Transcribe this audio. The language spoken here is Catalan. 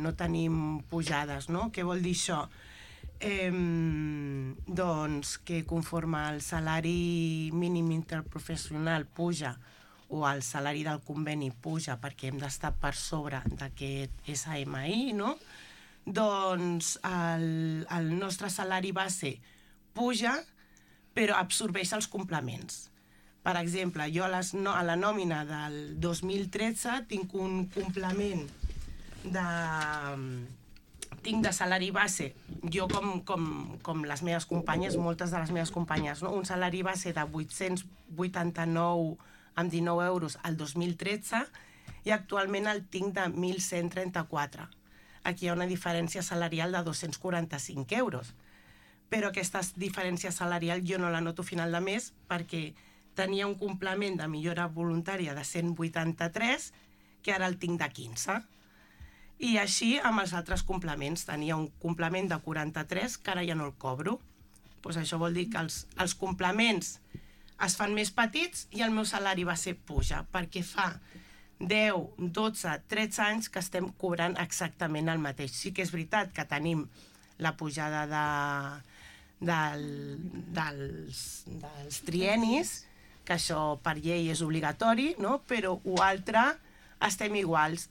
no tenim pujades, no? Què vol dir això? Doncs que conforme el salari mínim interprofessional puja o el salari del conveni puja perquè hem d'estar per sobre d'aquest SMI, no? Doncs el nostre salari base puja, però absorbeix els complements. Per exemple, jo a la nòmina del 2013 tinc un complement tinc de salari base, jo com les meves companyes, moltes de les meves companyes, no? Un salari base de 889,19 euros al 2013 i actualment el tinc de 1.134. Aquí hi ha una diferència salarial de 245 euros. Però aquesta diferència salarial jo no la noto a final de mes perquè tenia un complement de millora voluntària de 183 que ara el tinc de 15. I així amb els altres complements. Tenia un complement de 43 que ara ja no el cobro. Doncs això vol dir que els complements es fan més petits i el meu salari base puja, perquè fa 10, 12, 13 anys que estem cobrant exactament el mateix. Sí que és veritat que tenim la pujada dels trienis, que això per llei és obligatori, no? Però l'altre estem iguals.